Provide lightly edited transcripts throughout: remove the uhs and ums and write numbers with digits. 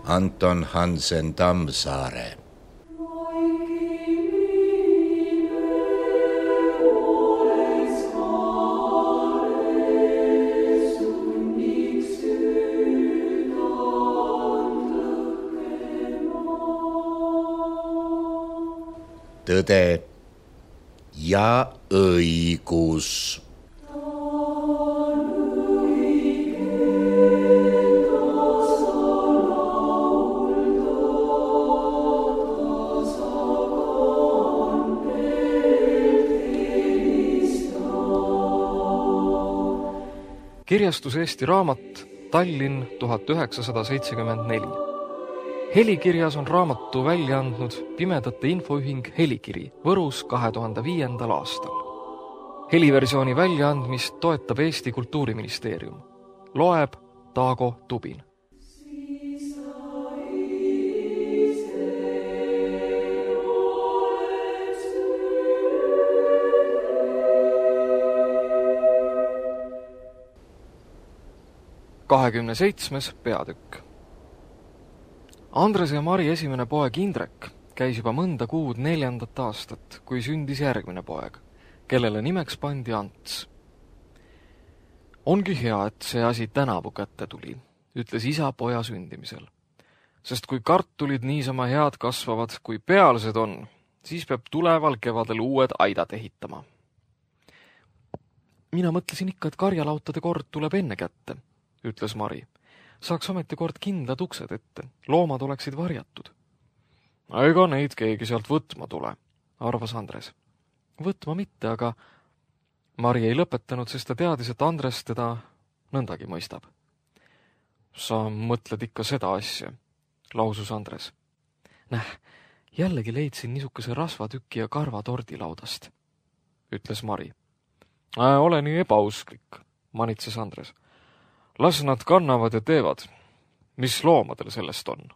Anton Hansen Tammsaare. Tõde ja õigus. Kirjastus Eesti Raamat, Tallinn 1974. Helikirjas on raamatu välja andnud Pimedate Infoühing Helikiri Võrus 2005. aastal. Heliversiooni väljaandmist toetab Eesti Kultuuriministeerium. Loeb Taago Tubin. Kahekümne 7. peatükk. Andres ja Mari esimene poeg Indrek käis juba mõnda kuud 4. aastat, kui sündis järgmine poeg, kellele nimeks pandi Ants. Ongi hea, et see asi tänavu kätte tuli, ütles isa poja sündimisel. Sest kui kartulid niisama head kasvavad, kui pealsed on, siis peab tuleval kevadel uued aidad ehitama. Mina mõtlesin ikka, et karjalautade kord tuleb enne kätte, ütles Mari. Saaks ometi kord kindlad uksed ette, loomad oleksid varjatud. Ega neid keegi sealt võtma tule, arvas Andres. Võtma mitte, aga Mari ei lõpetanud, sest ta teadis, et Andres teda nõndagi mõistab. Sa mõtled ikka seda asja, lausus Andres. Jällegi leidsin niisuguse rasvatüki ja karvatordi laudast, ütles Mari. Ole nii ebausklik, manitses Andres. Las nad kannavad ja teevad. Mis loomadel sellest on?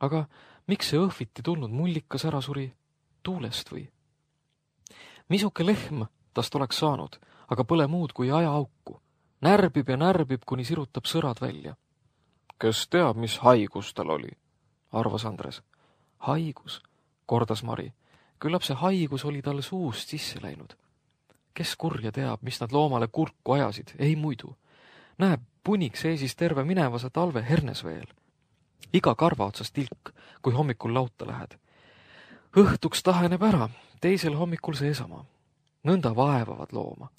Aga miks see õhviti tulnud mullikas ära suri tuulest või? Misuke lehm tast oleks saanud, aga pole muud kui ajaauku. Närbib ja närbib, kuni sirutab sõrad välja. Kes teab, mis haigus tal oli, arvas Andres. Haigus, kordas Mari. Küllap see haigus oli talle suust sisse läinud. Kes kurja teab, mis nad loomale kurku ajasid, ei muidu. Näeb, punik seisis terve minevase talve hernes veel. Iga karva otsast tilk, kui hommikul lauta lähed. Õhtuks taheneb ära, teisel hommikul seesama. Nõnda vaevavad looma.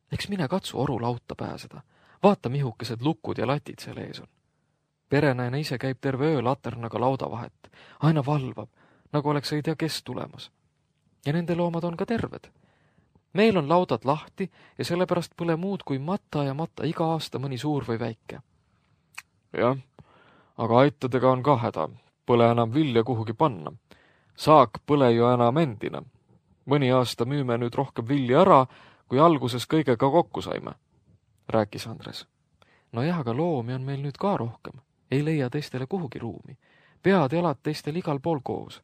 Eks mine katsu oru lauta pääseda. Vaata, mihukesed lukud ja latid seal ees on. Perenaine ise käib terve öö laternaga lauda vahet. Aina valvab, nagu oleks ei tea kes tulemas. Ja nende loomad on ka terved. Meil on laudad lahti ja sellepärast pole muud kui matta ja matta iga aasta mõni suur või väike. Jah, aga aitadega on ka häda. Pole enam vilja kuhugi panna. Saak pole ju enam endina. Mõni aasta müüme nüüd rohkem vilja ära, kui alguses kõigega kokku saime, rääkis Andres. No jah, aga loomi on meil nüüd ka rohkem. Ei leia teistele kuhugi ruumi. Pead jalad teistel igal pool koos.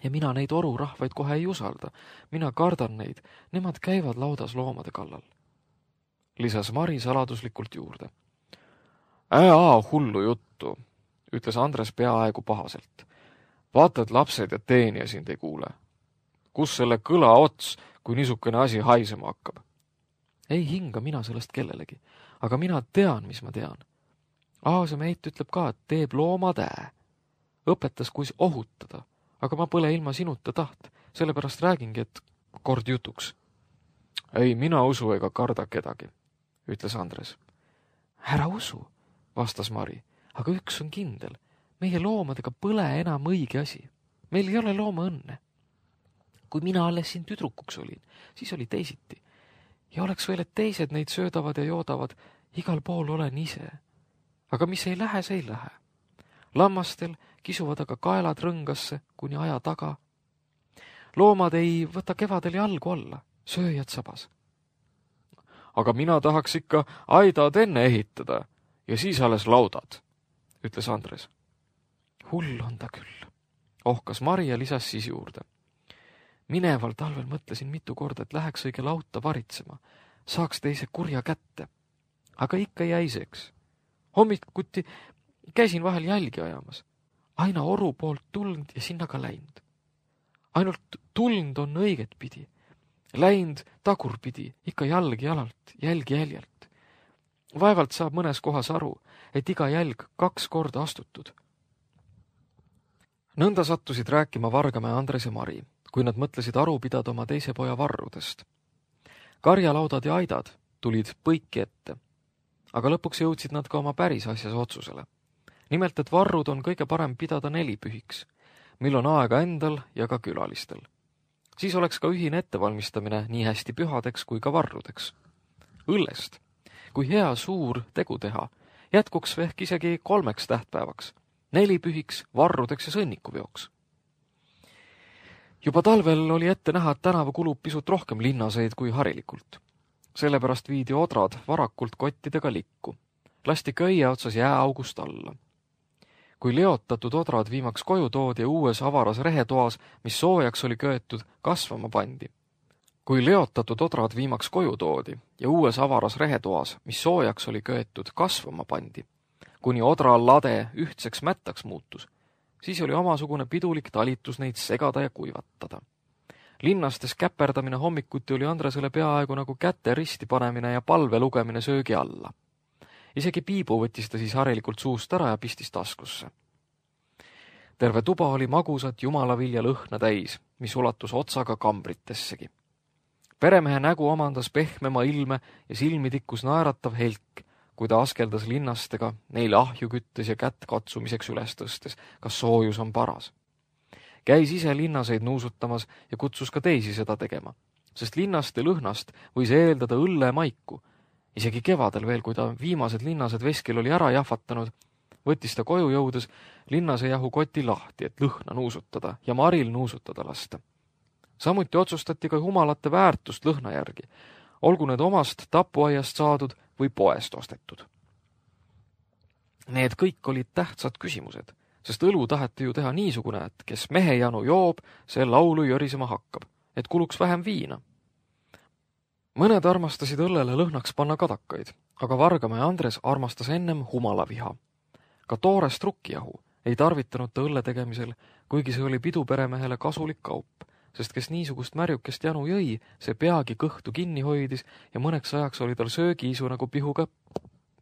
Ja mina neid orurahvaid kohe ei usalda. Mina kardan neid. Nemad käivad laudas loomade kallal. Lisas Mari saladuslikult juurde. Hullu juttu, ütles Andres peaaegu pahaselt. Vaata, et lapsed ja teenija sind ei kuule. Kus selle kõla ots, kui niisugune asi haisema hakkab? Ei hinga mina sellest kellelegi, aga mina tean, mis ma tean. Aasemeit ütleb ka, et teeb loomad Õpetas, kuis ohutada. Aga ma pole ilma sinuta taht, sellepärast räägingi, et kord jutuks. Ei, mina usu ega karda kedagi, ütles Andres. Ära usu, vastas Mari, aga üks on kindel. Meie loomadega pole enam õige asi. Meil ei ole looma õnne. Kui mina alles siin tüdrukuks olin, siis oli teisiti. Ja oleks veel, et teised neid söödavad ja joodavad, igal pool olen ise. Aga mis ei lähe, see ei lähe. Lammastel kisuvad aga kaelad rõngasse kuni aja taga. Loomad ei võta kevadel jalgu alla, sööjad sabas. Aga mina tahaks ikka aidad enne ehitada ja siis alles laudad, ütles Andres. Hull on ta küll, ohkas Mari ja lisas siis juurde. Mineval talvel mõtlesin mitu korda, et läheks õige lauta varitsema, saaks teise kurja kätte. Aga ikka jäiseks. Hommikuti Käisin vahel jälgi ajamas. Aina oru poolt tulnud ja sinna ka läinud. Ainult tulnud on õiget pidi. Läinud tagurpidi, ikka jalg jalalt, jälg jäljelt. Vaevalt saab mõnes kohas aru, et iga jälg 2 korda astutud. Nõnda sattusid rääkima Vargamäe Andres ja Mari, kui nad mõtlesid aru pidada oma teise poja varrudest. Karjalaudad ja aidad tulid põiki ette, aga lõpuks jõudsid nad ka oma päris asjas otsusele. Nimelt, et varrud on kõige parem pidada 4 pühiks, mil on aega endal ja ka külalistel. Siis oleks ka ühine ettevalmistamine nii hästi pühadeks kui ka varrudeks. Õllest, kui hea suur tegu teha, jätkuks ehk isegi 3 tähtpäevaks, 4 pühiks, varrudeks ja sõnnikuveoks. Juba talvel oli ette näha, et tänavu kulub pisut rohkem linnaseid kui harilikult. Sellepärast viidi odrad varakult kottidega likku. Lasti köie otsas jääaugust alla. Kui leotatud odrad viimaks koju toodi ja uues avaras rehetoas, mis soojaks oli köetud, kasvama pandi. Kui leotatud odrad viimaks koju toodi ja uues avaras rehetoas, mis soojaks oli köetud, kasvama pandi, kuni odra lade ühtseks mättaks muutus, siis oli omasugune pidulik talitus neid segada ja kuivatada. Linnastes käperdamine hommikuti oli Andresele peaaegu nagu käte risti panemine ja palve lugemine söögi alla. Isegi piibu võttis ta siis harilikult suust ära ja pistis taskusse. Terve tuba oli magusat jumalavilja lõhna täis, mis ulatus otsaga kambritessegi. Peremehe nägu omandas pehmema ilme ja silmi tikkus naeratav helk, kui ta askeldas linnastega, neile ahju küttes ja kätt katsumiseks üles tõstes, kas soojus on paras. Käis ise linnaseid nuusutamas ja kutsus ka teisi seda tegema, sest linnaste lõhnast võis eeldada õlle maiku. Isegi kevadel veel, kui ta viimased linnased veskil oli ära jahvatanud, võttis ta koju jõudes linnase jahu koti lahti, et lõhna nuusutada ja Maril nuusutada lasta. Samuti otsustati ka jumalate väärtust lõhna järgi, olgu need omast tapuaiast saadud või poest ostetud. Need kõik olid tähtsad küsimused, sest õlu taheti ju teha niisugune, et kes mehe janu joob, see laulu jörisema hakkab, et kuluks vähem viina. Mõned armastasid õllele lõhnaks panna kadakaid, aga Vargamäe Andres armastas ennem humalaviha. Ka toorest rukkijahu ei tarvitanud ta õlle tegemisel, kuigi see oli piduperemehele kasulik kaup, sest kes niisugust märjukest janu jõi, see peagi kõhtu kinni hoidis ja mõneks ajaks oli tal söögiisu nagu pihuga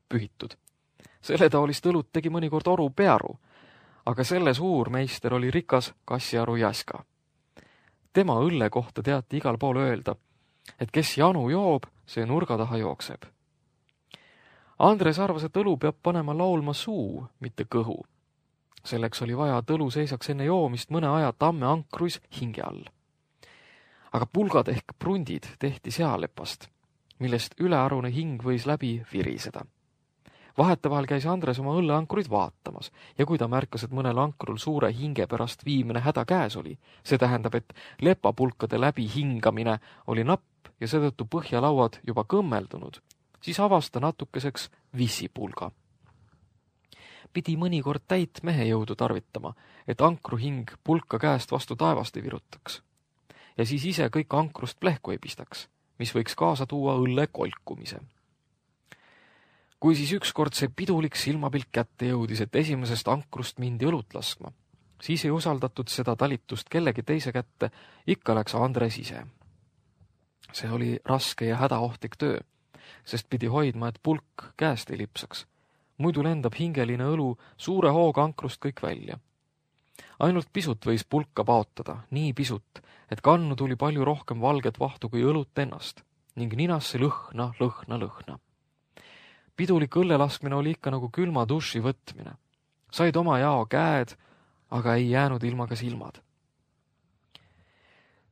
pühitud. Selle taolist õlut tegi mõnikord oru pearu, aga selle suur meister oli rikas kassiaru Jaska. Tema õlle kohta teati igal pool öelda, et kes janu joob, see nurga taha jookseb. Andres arvas, et õlu peab panema laulma suu, mitte kõhu. Selleks oli vaja, et õlu seisaks enne joomist mõne aja tamme ankruis hinge all. Aga pulgad ehk prundid tehti sealepast, millest ülearune hing võis läbi viriseda. Vahetevahel käis Andres oma õlleankruid vaatamas ja kui ta märkas, et mõnel ankrul suure hinge pärast viimine häda käes oli, see tähendab, et lepapulkade läbi hingamine oli napp ja seetõttu põhjalauad juba kõmmeldunud, siis avas ta natukeseks vissipulga. Pidi mõnikord täit mehe jõudu tarvitama, et ankruhing pulka käest vastu taevast ei virutaks. Ja siis ise kõik ankrust plehku ei pistaks, mis võiks kaasa tuua õlle kolkumise. Kui siis ükskord see pidulik silmapilk kätte jõudis, et esimesest ankrust mindi õlut laskma, siis ei usaldatud seda talitust kellegi teise kätte, ikka läks Andres ise. See oli raske ja hädaohtlik töö, sest pidi hoidma, et pulk käest ei lipsaks. Muidu lendab hingeline õlu suure hooga ankrust kõik välja. Ainult pisut võis pulka paotada, nii pisut, et kannu tuli palju rohkem valget vahtu kui õlut ennast ning ninasse lõhna. Pidulik õllelaskmine oli ikka nagu külma duši võtmine. Said oma jao käed, aga ei jäänud ilma ka silmad.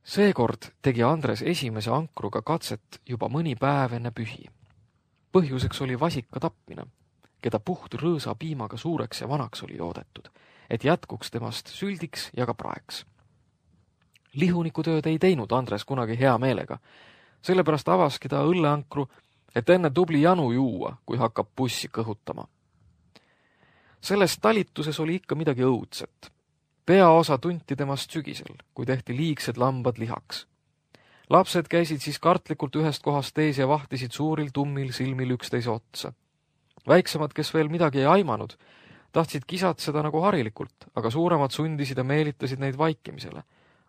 Seekord tegi Andres esimese ankruga katset juba mõni päev enne pühi. Põhjuseks oli vasika tapmine, keda puht rõõsa piimaga suureks ja vanaks oli joodetud, et jätkuks temast süldiks ja ka praeks. Lihunikutööd ei teinud Andres kunagi hea meelega, sellepärast avaski ta õlleankru, et enne tubli janu juua, kui hakkab bussi kõhutama. Selles talituses oli ikka midagi õudset. Peaosa tunti temast sügisel, kui tehti liigsed lambad lihaks. Lapsed käisid siis kartlikult ühest kohast teise ja vahtisid suuril tummil silmil üksteise otsa. Väiksemad, kes veel midagi ei aimanud, Tahtsid kisatseda nagu harilikult, aga suuremad sundisid ja meelitasid neid vaikimisele,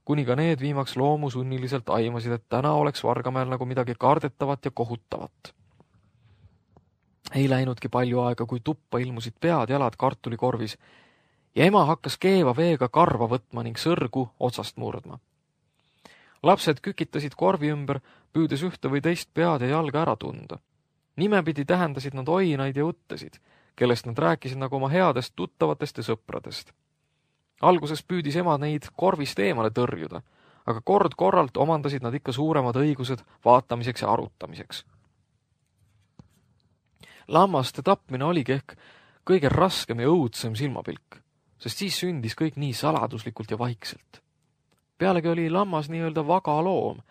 kuni ka need viimaks loomusunniliselt aimasid, et täna oleks Vargamäel nagu midagi kardetavat ja kohutavat. Ei läinudki palju aega, kui tuppa ilmusid pead jalad kartulikorvis ja ema hakkas keeva veega karva võtma ning sõrgu otsast murdma. Lapsed kükitasid korvi ümber, püüdes ühte või teist pead ja jalga ära tunda. Nimepidi tähendasid nad oinaid ja uttesid, kellest nad rääkisid nagu oma headest tuttavatest ja sõpradest. Alguses püüdis ema neid korvist eemale tõrjuda, aga kord-korralt omandasid nad ikka suuremad õigused vaatamiseks ja arutamiseks. Lammaste tapmine oligi ehk kõige raskem ja õudsem silmapilk, sest siis sündis kõik nii saladuslikult ja vaikselt. Pealegi oli lammas nii-öelda vaga loom.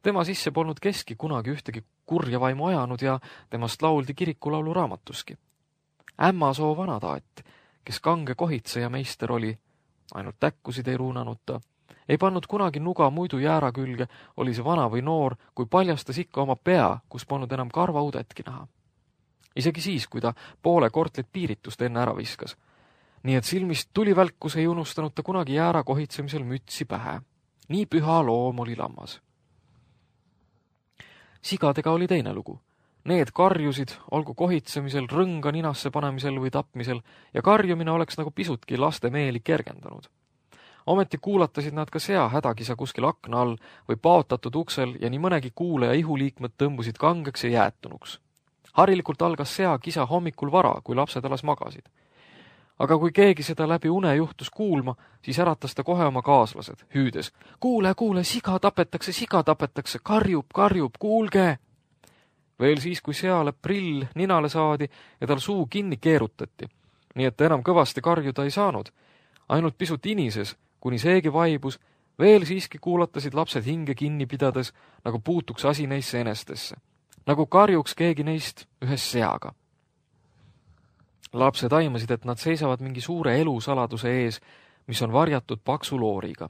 Tema sisse polnud keski kunagi ühtegi kurja vaimu ajanud ja temast lauldi kirikulaulu raamatuski. Ämmasoo vanataat, kes kange kohitseja meister oli, ainult täkkusid ei ruunanud ta, ei pannud kunagi nuga muidu jäära külge, oli see vana või noor, kui paljastas ikka oma pea, kus polnud enam karvaudetki näha. Isegi siis, kui ta poole kortlit piiritust enne ära viskas. Nii et silmist tulivälkus ei unustanud ta kunagi jäära kohitsemisel mütsi pähe. Nii püha loom oli lammas. Sigadega oli teine lugu. Need karjusid, olgu kohitsemisel, rõnga ninasse panemisel või tapmisel, ja karjumine oleks nagu pisutki laste meeli kergendanud. Ometi kuulatasid nad ka sea hädakisa kuskil akna all või paotatud uksel ja nii mõnegi kuule ja ihuliikmed tõmbusid kangeks ja jäätunuks. Harilikult algas sea kisa hommikul vara, kui lapsed alles magasid. Aga kui keegi seda läbi une juhtus kuulma, siis äratas ta kohe oma kaaslased, hüüdes: Kuule, siga tapetakse, karjub, kuulge! Veel siis, kui seale prill ninale saadi ja tal suu kinni keerutati, nii et enam kõvasti karjuda ei saanud, ainult pisut inises, kuni seegi vaibus, veel siiski kuulatasid lapsed hinge kinni pidades, nagu puutuks asi neisse enestesse, nagu karjuks keegi neist ühes seaga. Lapsed aimasid, et nad seisavad mingi suure elusaladuse ees, mis on varjatud paksu looriga.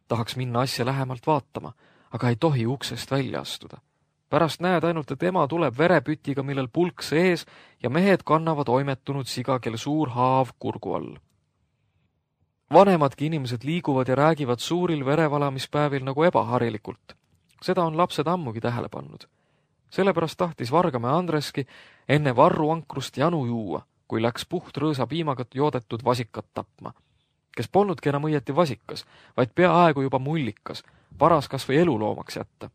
Tahaks minna asja lähemalt vaatama, aga ei tohi uksest välja astuda. Pärast näed ainult, et ema tuleb verepütiga, millel pulk sees ja mehed kannavad oimetunud siga, kel suur haav kurgu all. Vanemadki inimesed liiguvad ja räägivad suuril verevalamispäevil nagu ebaharilikult. Seda on lapsed ammugi tähele pannud. Sellepärast tahtis Vargamäe Andreski enne varruankrust janu juua, kui läks puht rõõsa piimaga joodetud vasikat tapma, kes polnudki enam õieti vasikas, vaid peaaegu juba mullikas, paras kas või eluloomaks jätta.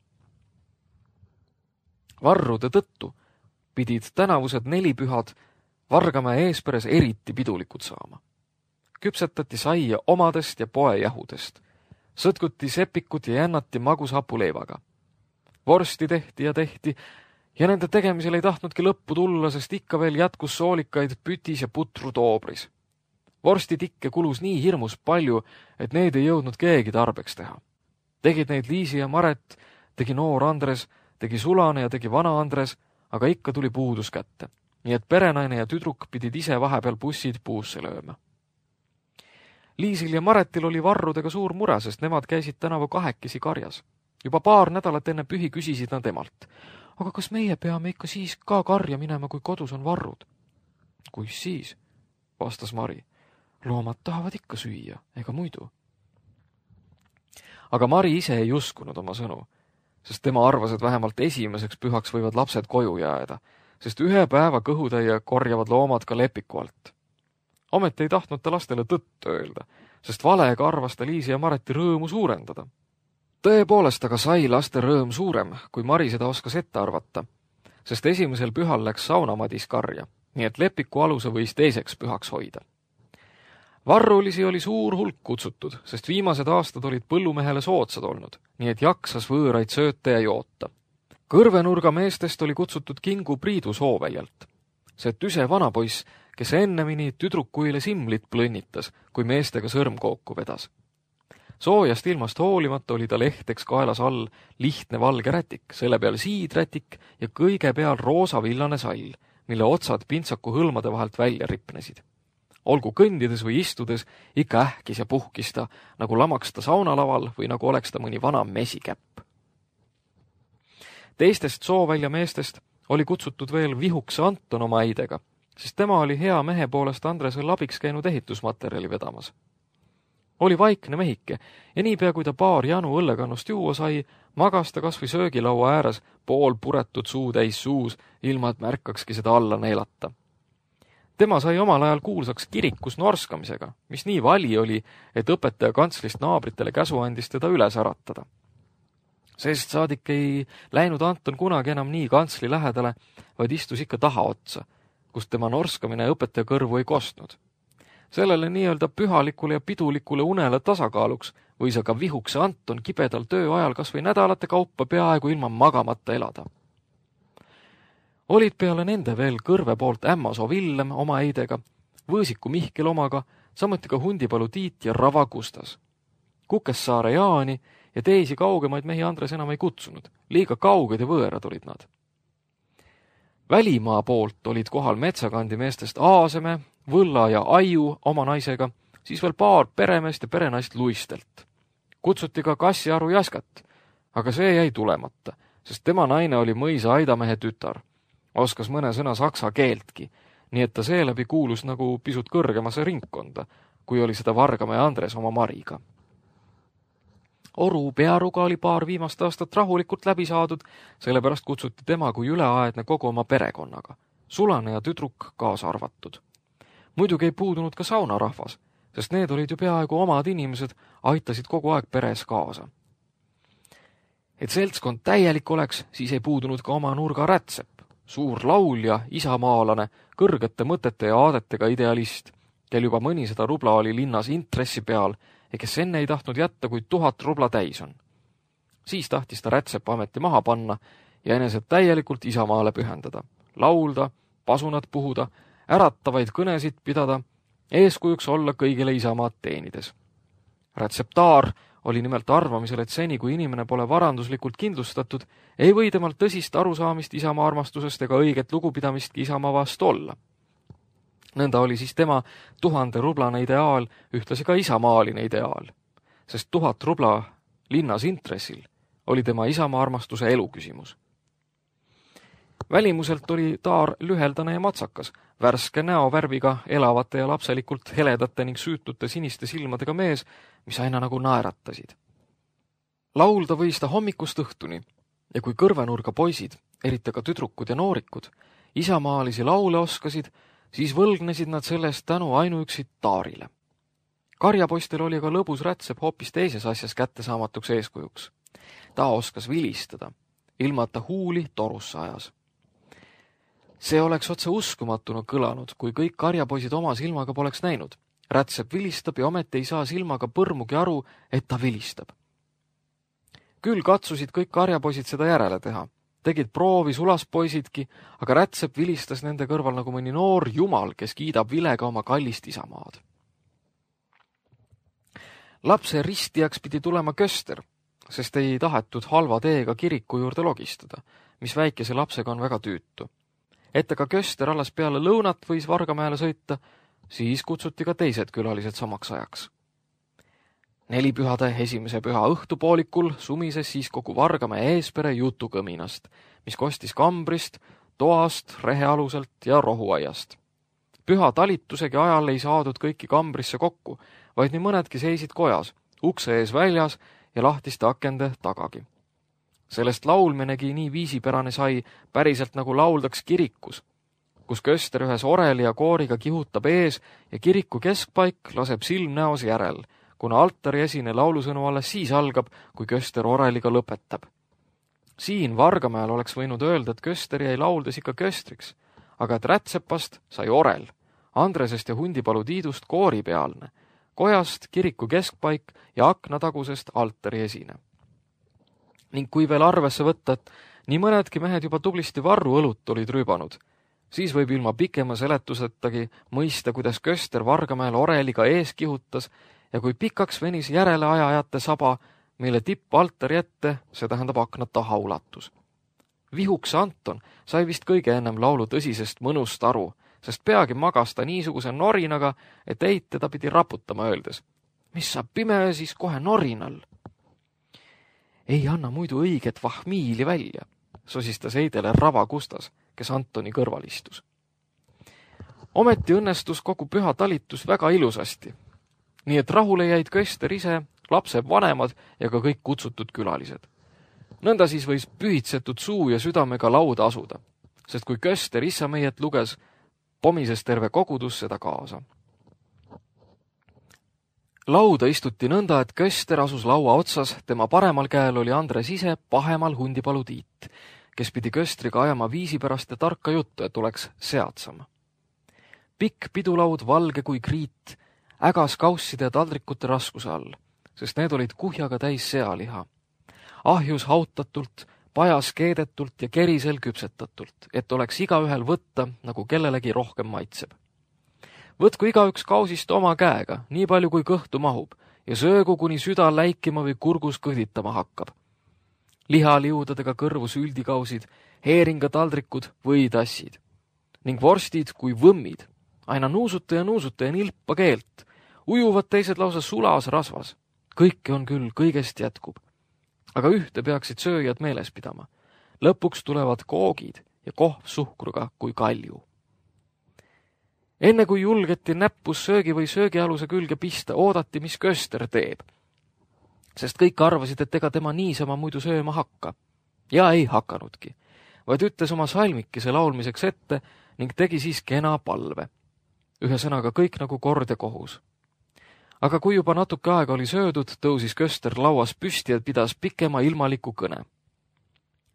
Varrude tõttu pidid tänavused 4 pühad Vargamäe eesperes eriti pidulikud saama. Küpsetati saia omadest ja poejahudest, sõtkuti sepikut ja jännati magushapuleivaga. Vorsti tehti ja nende tegemisel ei tahtnudki lõppu tulla, sest ikka veel jätkus soolikaid pütis ja putru toobris. Vorstitikke kulus nii hirmus palju, et need ei jõudnud keegi tarbeks teha. Tegid neid Liisi ja Maret, tegi noor Andres, tegi Sulane ja tegi vana Andres, aga ikka tuli puudus kätte, nii et perenaine ja tüdruk pidid ise vahepeal bussid puusse lööma. Liisil ja Maretil oli varrudega suur mure, sest nemad käisid tänavu 2 karjas. Juba 2 nädalat enne pühi küsisid nad emalt: aga kas meie peame ikka siis ka karja minema, kui kodus on varrud? Kuis siis, vastas Mari. Loomad tahavad ikka süüa, ega muidu. Aga Mari ise ei uskunud oma sõnu, sest tema arvas, et vähemalt esimeseks pühaks võivad lapsed koju jääda, sest 1 päeva kõhutäie korjavad loomad ka lepiku alt. Ometi ei tahtnud ta lastele tõtt öelda, sest valega arvas ta Liisi ja Mareti rõõmu suurendada. Tõepoolest aga sai laste rõõm suurem, kui Mari seda oskas ette arvata, sest esimesel pühal läks saunamadis karja, nii et lepiku aluse võis teiseks pühaks hoida. Varrulisi oli suur hulk kutsutud, sest viimased aastad olid põllumehele soodsad olnud, nii et jaksas võõraid sööta ja joota. Kõrvenurga meestest oli kutsutud Kingu Priidu Sooväljalt. See tüse vanapoiss, kes ennemini tüdrukuile simlit plõnnitas, kui meestega sõrmkooku vedas. Soojast ilmast hoolimata oli tal ehteks kaelas all lihtne valge rätik, selle peal siidrätik ja kõige peal roosavillane sall, mille otsad pintsaku hõlmade vahelt välja ripnesid. Olgu kõndides või istudes, ikka ähkis ja puhkis ta, nagu lamaks ta saunalaval või nagu oleks ta mõni vana mesikäpp. Teistest Soovälja meestest oli kutsutud veel Vihukse Anton oma äidega, sest tema oli hea mehe poolest Andresel abiks käinud ehitusmaterjali vedamas. Oli vaikne mehike ja niipea, kui ta paar janu õllekannust juua sai, magas ta kas või söögilaua ääres pool puretud suutäis suus, ilma et märkakski seda alla neelata. Tema sai omal ajal kuulsaks kirikus norskamisega, mis nii vali oli, et õpetaja kantslist naabritele käsu andis teda üles äratada. Sest saadik ei läinud Anton kunagi enam nii kantsli lähedale, vaid istus ikka tahaotsa, kust tema norskamine õpetaja kõrvu ei kostnud. Sellele nii-öelda pühalikule ja pidulikule unele tasakaaluks võis aga vihukse Anton kibedal töö ajal kas või nädalate kaupa peaaegu ilma magamata elada. Olid peale nende veel Kõrve poolt Ämmasoo Villem oma eidega, Võõsiku Mihkel omaga, samuti ka Hundipalu Tiit ja Rava Gustas. Kukessaare Jaani ja teisi kaugemaid mehi Andres enam ei kutsunud, liiga kauged ja võõrad olid nad. Välimaa poolt olid kohal Metsakandi meestest Aaseme, Võlla ja Aiu oma naisega, siis veel paar peremeest ja perenaist Luistelt. Kutsuti ka Kassiaru Jaskat, aga see jäi tulemata, sest tema naine oli mõisa aidamehe tütar. Oskas mõne sõna saksa keeltki, nii et ta seeläbi kuulus nagu pisut kõrgemasse ringkonda, kui oli seda Vargamäe Andres oma Mariga. Oru Pearuga oli paar viimast aastat rahulikult läbi saadud, sellepärast kutsuti tema kui üleaedne kogu oma perekonnaga, sulane ja tüdruk kaasa arvatud. Muidugi ei puudunud ka saunarahvas, sest need olid ju peaaegu omad inimesed, aitasid kogu aeg peres kaasa. Et seltskond täielik oleks, siis ei puudunud ka oma nurga Rätsep, suur laulja, isamaalane, kõrgete mõtete ja aadetega idealist, kel juba mõnisada rubla oli linnas intressi peal ja kes enne ei tahtnud jätta, kui 1000 rubla täis on. Siis tahtis ta Rätsepa ameti maha panna ja enesed täielikult isamaale pühendada, laulda, pasunat puhuda, äratavaid kõnesid pidada, eeskujuks olla kõigile isamaad teenides. Rätseptaar oli nimelt arvamisel, et seni, kui inimene pole varanduslikult kindlustatud, ei või temalt tõsist arusaamist isamaa armastusest ega õiget lugupidamistki isamaa vastu olla. Nõnda oli siis tema 1000 rublane ideaal ühtlasi ka isamaaline ideaal, sest 1000 rubla linnas intressil oli tema isamaa armastuse eluküsimus. Välimuselt oli taar lüheldane ja matsakas, värske näovärviga, elavate ja lapselikult heledate ning süütute siniste silmadega mees, mis aina nagu naeratasid. Laulda võis ta hommikust õhtuni ja kui kõrvenurga poisid, eriti ka tüdrukud ja noorikud, isamaalisi laule oskasid, siis võlgnesid nad sellest tänu ainuüksi taarile. Karjapoistel oli aga lõbus Rätsep hoopis teises asjas kättesaamatuks eeskujuks. Ta oskas vilistada, ilma et ta huuli torusse ajas. See oleks otse uskumatuna kõlanud, kui kõik karjapoisid oma silmaga poleks näinud. Rätsep vilistab ja ometi ei saa silmaga põrmugi aru, et ta vilistab. Küll katsusid kõik karjapoisid seda järele teha. Tegid proovi sulaspoisidki, aga Rätsep vilistas nende kõrval nagu mõni noor jumal, kes kiidab vilega oma kallist isamaad. Lapse ristijaks pidi tulema Köster, sest ei tahetud halva teega kiriku juurde logistada, mis väikese lapsega on väga tüütu. Et aga Köster alles peale lõunat võis Vargamäele sõita, siis kutsuti ka teised külalised samaks ajaks. Nelipühade esimese püha õhtupoolikul sumises siis kogu Vargamäe eespere jutukõminast, mis kostis kambrist, toast, rehealuselt ja rohuaiast. Püha talitusegi ajal ei saadud kõiki kambrisse kokku, vaid nii mõnedki seisid kojas, ukse ees väljas ja lahtiste akende tagagi. Sellest laulmenegi nii viisipärane sai päriselt nagu lauldaks kirikus, kus Köster ühes oreli ja kooriga kihutab ees ja kiriku keskpaik laseb silm näos järel, kuna altari esine laulusõnu alles siis algab, kui Köster oreliga lõpetab. Siin Vargamäel oleks võinud öelda, et Köster jäi lauldes ikka Köstriks, aga et Rätsepast sai orel, Andresest ja Hundipalu Tiidust kooripealne, kojast kiriku keskpaik ja aknatagusest altari esine. Ning kui veel arvesse võtta, et nii mõnedki mehed juba tublisti varru õlut olid rüübanud, siis võib ilma pikema seletusetagi mõista, kuidas Köster Vargamäel oreliga ees kihutas ja kui pikaks venis järele ajajate saba, mille tipp altari ette, see tähendab akna taha ulatus. Vihukse Anton sai vist kõige ennem laulu tõsisest mõnust aru, sest peagi magas ta niisuguse norinaga, et Eit teda pidi raputama öeldes. Mis sa pime siis kohe norinal? Ei anna muidu õiget vahmiili välja, sosistas Eidele Rava Gustas, kes Antoni kõrval istus. Ometi õnnestus kogu püha talitus väga ilusasti. Nii et rahule jäid Köster ise, lapse vanemad ja ka kõik kutsutud külalised. Nõnda siis võis pühitsetud suu ja südamega lauda asuda, sest kui Köster issameiet luges, pomises terve kogudus seda kaasa. Lauda istuti nõnda, et Köster asus laua otsas, tema paremal käel oli Andres ise, pahemal Hundipalu Tiit, kes pidi Köstriga ajama viisi pärast ja tarka juttu, et oleks seadsam. Pikk pidulaud, valge kui kriit, ägas kausside ja taldrikute raskuse all, sest need olid kuhjaga täis sealiha. Ahjus hautatult, pajas keedetult ja kerisel küpsetatult, et oleks igaühel võtta, nagu kellelegi rohkem maitseb. Võtku igaüks kausist oma käega, nii palju kui kõhtu mahub, ja söögu, kuni süda läikima või kurgus kõhditama hakkab. Lihaliudadega kõrvu süldikausid, heeringa taldrikud või tassid, ning vorstid kui võmmid, aina nuusuta ja nilpa keelt, ujuvad teised lausa sulas rasvas. Kõike on küll, kõigest jätkub. Aga ühte peaksid sööjad meeles pidama. Lõpuks tulevad koogid ja kohv suhkruga kui kalju. Enne kui julgeti näppus söögi või söögialuse külge pista, oodati, mis Köster teeb. Sest kõik arvasid, et ega tema niisama muidu sööma hakka. Ja ei hakanudki, vaid ütles oma salmikese laulmiseks ette ning tegi siis kena palve. Ühesõnaga kõik nagu kord ja kohus. Aga kui juba natuke aega oli söödud, tõusis Köster lauas püsti ja pidas pikema ilmaliku kõne.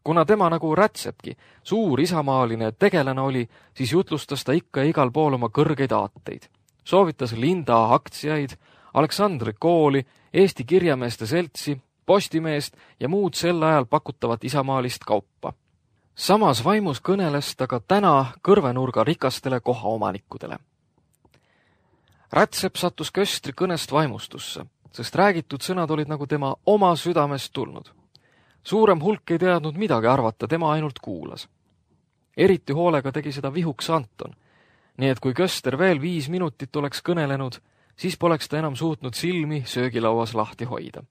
Kuna tema nagu Rätsepki, suur isamaaline tegelane oli, siis jutlustas ta ikka ja igal pool oma kõrgeid aateid. Soovitas Linda aktsiaid, Aleksandri kooli, Eesti kirjameeste seltsi, Postimeest ja muud sel ajal pakutavat isamaalist kaupa. Samas vaimus kõneles ta ka täna kõrvenurga rikastele kohaomanikudele. Rätsep sattus Köstri kõnest vaimustusse, sest räägitud sõnad olid nagu tema oma südamest tulnud. Suurem hulk ei teadnud midagi arvata, tema ainult kuulas. Eriti hoolega tegi seda vihuks Anton, nii et kui Köster veel 5 minutit oleks kõnelenud, siis poleks ta enam suutnud silmi söögilauas lahti hoida.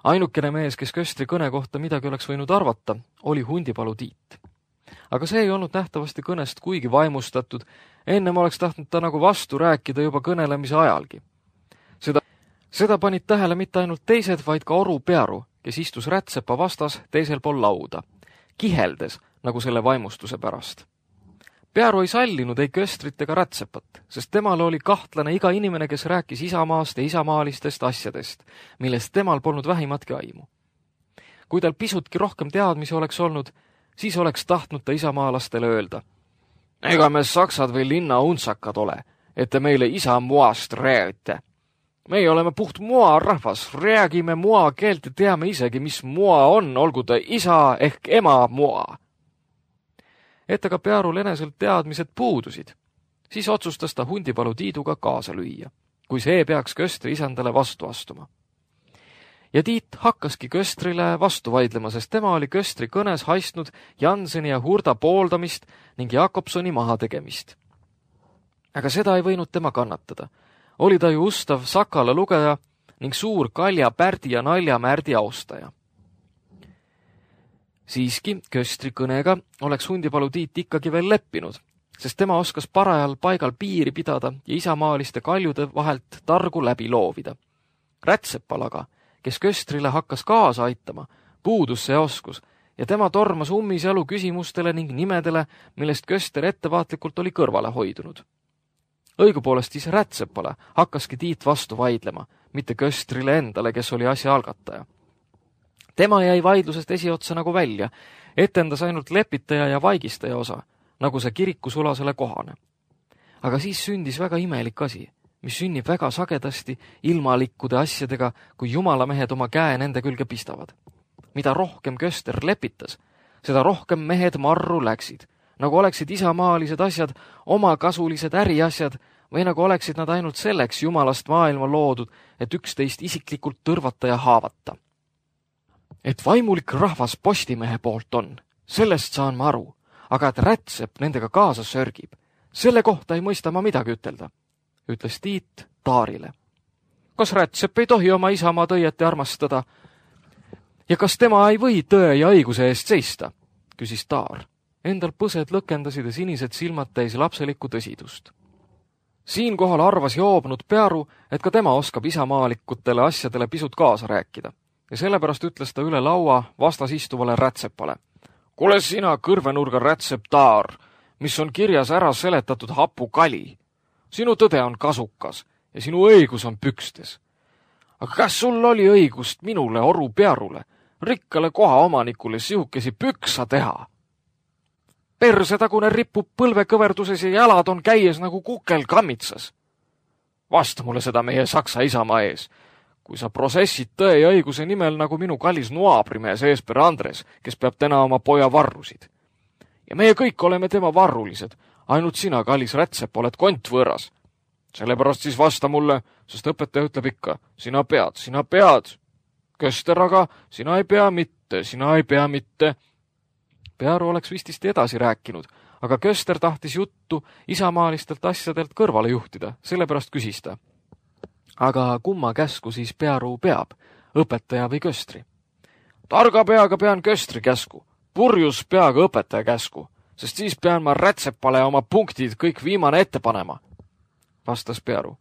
Ainukene mees, kes Köstri kõne kohta midagi oleks võinud arvata, oli Hundipalu Tiit. Aga see ei olnud nähtavasti kõnest kuigi vaimustatud, ennem oleks tahtnud ta nagu vastu rääkida juba kõnelemise ajalgi. Seda panid tähele mitte ainult teised, vaid ka Oru Pearu, kes istus Rätsepa vastas teisel pool lauda, kiheldes nagu selle vaimustuse pärast. Pearu ei sallinud ei Köstrit ega Rätsepat, sest temal oli kahtlane iga inimene, kes rääkis isamaast ja isamaalistest asjadest, millest temal polnud vähimatki aimu. Kui tal pisutki rohkem teadmisi oleks olnud, siis oleks tahtnud ta isamaalastele öelda. Ega me saksad või linna untsakad ole, et te meile isamuast räägite. Meie oleme puht mua rahvas, räägime mua keelt ja teame isegi, mis mua on, olgu ta isa ehk ema mua. Et aga Pearul eneselt teadmised puudusid, siis otsustas ta Hundipalu Tiiduga kaasa lüüa, kui see peaks Köstri isandale vastu astuma. Ja Tiit hakkaski Köstrile vastu vaidlema, sest tema oli Köstri kõnes haistnud Janseni ja Hurda pooldamist ning Jakobsoni mahategemist. Aga seda ei võinud tema kannatada. Oli ta ju ustav Sakala lugeja ning suur Kalja Pärdi ja Nalja Märdi austaja. Siiski Köstri kõnega oleks Hundipalu Tiit ikkagi veel leppinud, sest tema oskas parajal paigal piiri pidada ja isamaaliste kaljude vahelt targu läbi loovida. Rätsepal aga, kes Köstrile hakkas kaasa aitama, puudus see oskus ja tema tormas ummisjalu küsimustele ning nimedele, millest Köster ettevaatlikult oli kõrvale hoidunud. Õigupoolest siis Rätsepale hakkaski Tiit vastu vaidlema, mitte Köstrile endale, kes oli asja algataja. Tema jäi vaidlusest esiotsa nagu välja, etendas ainult lepitaja ja vaigistaja osa, nagu see kirikusulasele kohane. Aga siis sündis väga imelik asi, mis sünnib väga sagedasti ilmalikkude asjadega, kui jumalamehed oma käe nende külge pistavad. Mida rohkem Köster lepitas, seda rohkem mehed marru läksid, nagu oleksid isamaalised asjad omakasulised äriasjad või nagu oleksid nad ainult selleks jumalast maailma loodud, et üksteist isiklikult tõrvata ja haavata. Et vaimulik rahvas Postimehe poolt on, sellest saan ma aru, aga et Rätsep nendega kaasa sörgib, selle kohta ei mõista ma midagi ütelda, ütles Tiit Taarile. Kas Rätsep ei tohi oma isamaad õieti armastada? Ja kas tema ei või tõe ja õiguse eest seista? Küsis Taar. Endal põsed lõkendasid ja sinised silmad täis lapselikku tõsidust. Siinkohal arvas joobnud Pearu, et ka tema oskab isamaalikutele asjadele pisut kaasa rääkida ja sellepärast ütles ta üle laua vastas istuvale rätsepale. Kuule sina kõrvenurga rätsep Taar, mis on kirjas ära seletatud hapukali. Sinu tõde on kasukas ja sinu õigus on pükstes. Aga kas sul oli õigust minule, Oru Pearule, rikkale koha omanikule sihukesi püksa teha? Persetagune ripub põlvekõverduses ja jalad on käies nagu kukel kammitsas. Vasta mulle seda meie saksa isamaa ees. Kui sa protsessid tõe ja õiguse nimel nagu minu kallis nuabrimees Eesper Andres, kes peab täna oma poja varrusid. Ja meie kõik oleme tema varrulised, ainult sina, kallis rätsep, oled kontvõõras. Sellepärast siis vasta mulle, sest õpetaja ütleb ikka, sina pead. Köster aga, sina ei pea mitte. Pearu oleks vististi edasi rääkinud, aga Köster tahtis juttu isamaalistelt asjadelt kõrvale juhtida, sellepärast küsis ta. Aga kumma käsku siis Pearu peab, õpetaja või Köstri? Targa peaga pean Köstri käsku, purjus peaga õpetaja käsku, sest siis pean ma rätsepale oma punktid kõik viimane ette panema, vastas Pearu.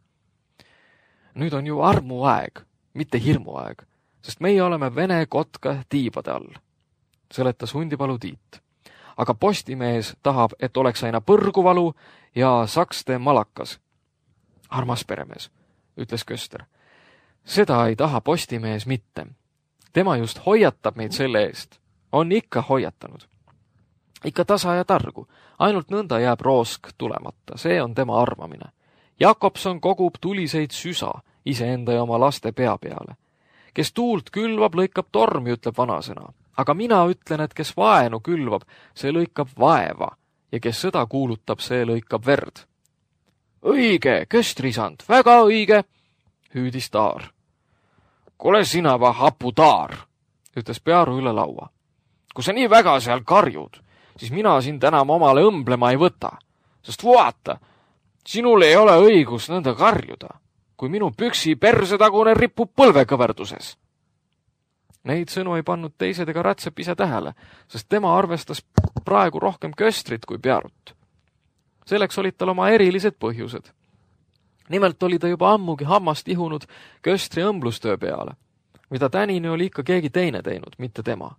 Nüüd on ju armuaeg, mitte hirmuaeg, sest meie oleme Vene kotka tiibade all, seletas Hundipalu Tiit. Aga postimees tahab, et oleks aina põrguvalu ja sakste malakas. Armas peremees, ütles Köster. Seda ei taha postimees mitte. Tema just hoiatab meid selle eest. On ikka hoiatanud. Ikka tasa ja targu. Ainult nõnda jääb roosk tulemata. See on tema arvamine. Jakobson kogub tuliseid süsa iseenda ja oma laste pea peale. Kes tuult külvab, lõikab tormi, ütleb vanasõna. Aga mina ütlen, et kes vaenu külvab, see lõikab vaeva ja kes sõda kuulutab, see lõikab verd. Õige, Köstrisand, väga õige, hüüdis Taar. Kule sina va hapu Taar, ütles Pearu üle laua. Kui sa nii väga seal karjud, siis mina sind enam omale õmblema ei võta, sest vaata, sinul ei ole õigus nõnda karjuda, kui minu püksi persetagune ripub põlvekõverduses. Neid sõnu ei pannud teised ega rätsep ise tähele, sest tema arvestas praegu rohkem Köstrit kui Pearut. Selleks olid tal oma erilised põhjused. Nimelt oli ta juba ammugi hammast ihunud Köstri õmblustöö peale, mida tänini oli ikka keegi teine teinud, mitte tema.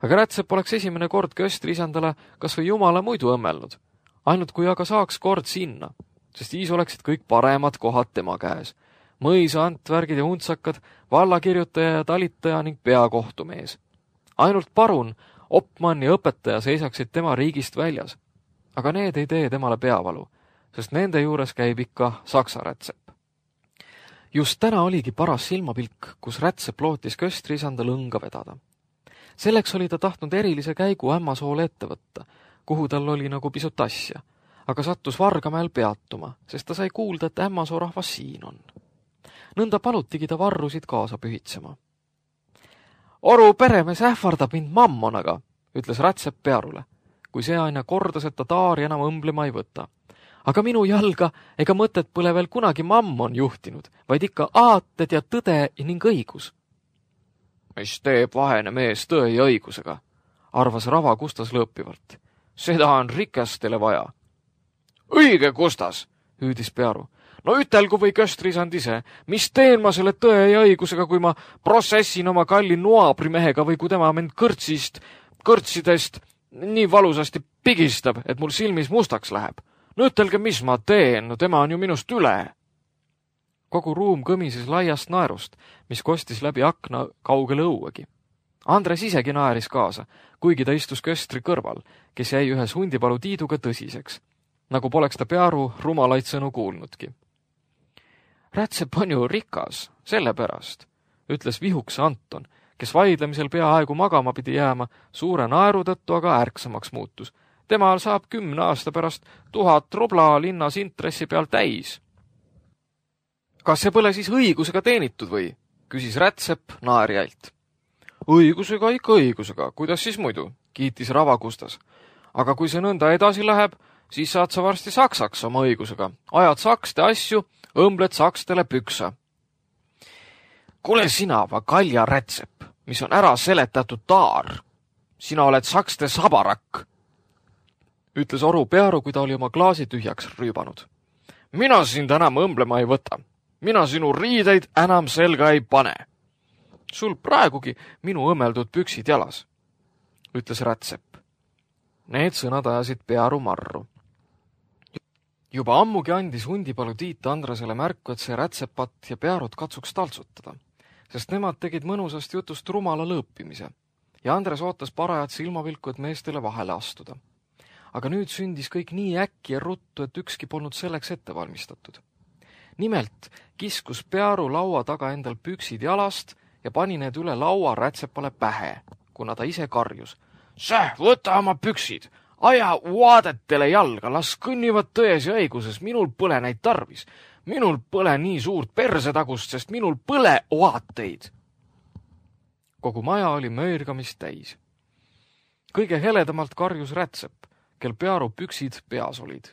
Aga rätsep oleks esimene kord Köstri isandale kas või jumala muidu õmmelnud, ainult kui aga saaks kord sinna, sest siis oleksid kõik paremad kohad tema käes. Mõisa, antvärgid ja huntsakad, vallakirjutaja ja talitaja ning peakohtumees. Ainult parun, opmann ja õpetaja seisaksid tema riigist väljas. Aga need ei tee temale peavalu, sest nende juures käib ikka saksa rätsep. Just täna oligi paras silmapilk, kus rätsep lootis Köstri isanda lõnga vedada. Selleks oli ta tahtnud erilise käigu Ämmasoole ette võtta, kuhu tal oli nagu pisut asja, aga sattus Vargamäel peatuma, sest ta sai kuulda, et Ämmasoo rahvas siin on. Nõnda palutigi ta varrusid kaasa pühitsema. Oru peremees ähvardab mind mammonaga, ütles rätsep Pearule, kui see aina kordas, et ta Taari enam õmblema ei võta. Aga minu jalga ega mõtet pole veel kunagi mammon juhtinud, vaid ikka aated ja tõde ning õigus. Mis teeb vahene mees tõe ja õigusega, arvas Rava Kustas lõõpivalt. Seda on rikastele vaja. Õige, Kustas, hüüdis Pearu. No ütelgu või Köstrisand ise, mis teen ma selle tõe ja õigusega, kui ma protsessin oma kalli nuabrimehega või kui tema mind kõrtsidest nii valusasti pigistab, et mul silmis mustaks läheb. No ütelge, mis ma teen, no tema on ju minust üle. Kogu ruum kõmises laiast naerust, mis kostis läbi akna kaugele õuegi. Andres isegi naeris kaasa, kuigi ta istus Köstri kõrval, kes jäi ühes Hundipalu Tiiduga tõsiseks, nagu poleks ta Pearu rumalaid sõnu kuulnudki. Rätsep on ju rikas, sellepärast, ütles vihuks Anton, kes vaidlemisel peaaegu magama pidi jääma, suure naeru tõttu aga ärksamaks muutus. Temal saab 10 aasta pärast 1000 rubla linnas intressi peal täis. Kas see pole siis õigusega teenitud või? Küsis rätsep naerjalt. Õigusega ikka õigusega, kuidas siis muidu, kiitis Rava Kustas. Aga kui see nõnda edasi läheb, siis saad sa varsti saksaks oma õigusega. Ajad sakste asju, õmbled sakstele püksa. Kule sina, va kalja rätsep, mis on ära seletatud Taar. Sina oled sakste sabarakk. ütles Oru Pearu, kui ta oli oma klaasi tühjaks rüübanud. Mina sind enam õmblema ei võta. Mina sinu riideid enam selga ei pane. Sul praegugi minu õmmeldud püksid jalas, ütles Rätsep. Need sõnad ajasid Pearu marru. Juba ammugi andis hundipalu Tiit Andresele märku, et see Rätsepat ja Pearut katsuks taltsutada, sest nemad tegid mõnusast jutust rumala lõõpimise ja Andres ootas parajat silmavilku, et meestele vahele astuda. Aga nüüd sündis kõik nii äkki ja ruttu, et ükski polnud selleks ette valmistatud. Nimelt kiskus Pearu laua taga endal püksid jalast ja pani need üle laua Rätsepale pähe, kuna ta ise karjus. Võta oma püksid, aja vaadetele jalga, las kõnnivad tões ja õiguses, minul põle neid tarvis. Minul põle nii suurt persetagust, sest minul põle vaateid. Kogu maja oli möörgamist täis. Kõige heledamalt karjus Rätsep, kel Pearu püksid peas olid.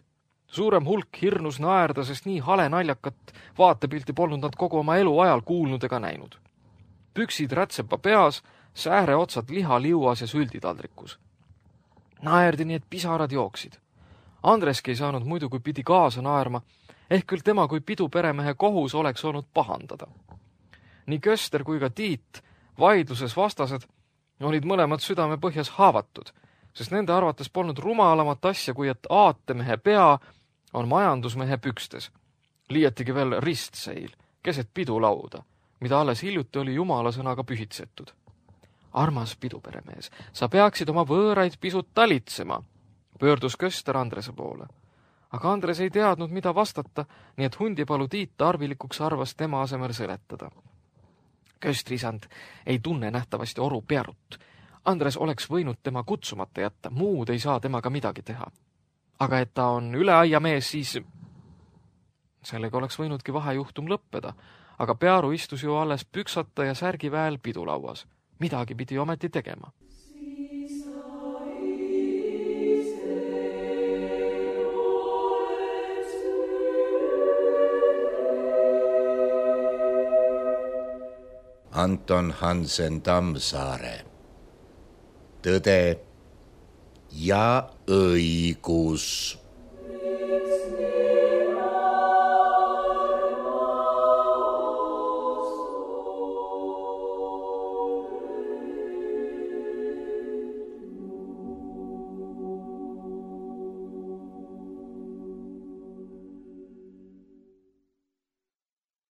Suurem hulk hirnus naerda, sest nii hale naljakat vaatepilti polnud nad kogu oma elu ajal kuulnud ega näinud. Püksid Rätsepa peas, sääre otsad lihaliuas ja sülditaldrikus. Naerdi nii, et pisarad jooksid. Andreski ei saanud muidu, kui pidi kaasa naerma, ehk küll tema kui piduperemehe kohus oleks olnud pahandada. Nii Köster kui ka Tiit, vaidluses vastased, olid mõlemad südame põhjas haavatud, sest nende arvates polnud rumalamat asja, kui et aatemehe pea on majandusmehe pükstes. Liiatigi veel ristseil, keset pidulauda, mida alles hiljuti oli jumala sõnaga pühitsetud. Armas piduperemees, sa peaksid oma võõraid pisut talitsema, pöördus Köster Andrese poole. Aga Andres ei teadnud, mida vastata, nii et hundipalu Tiit arvilikuks arvas tema asemel seletada. Köstrisand ei tunne nähtavasti Oru Pearut. Andres oleks võinud tema kutsumata jätta, muud ei saa temaga midagi teha. Aga et ta on üle aia mees, siis sellega oleks võinudki vahejuhtum lõppeda, aga Pearu istus ju alles püksata ja särgiväel pidulauas. Midagi pidi ometi tegema. Anton Hansen Tammsaare. Tõde ja õigus.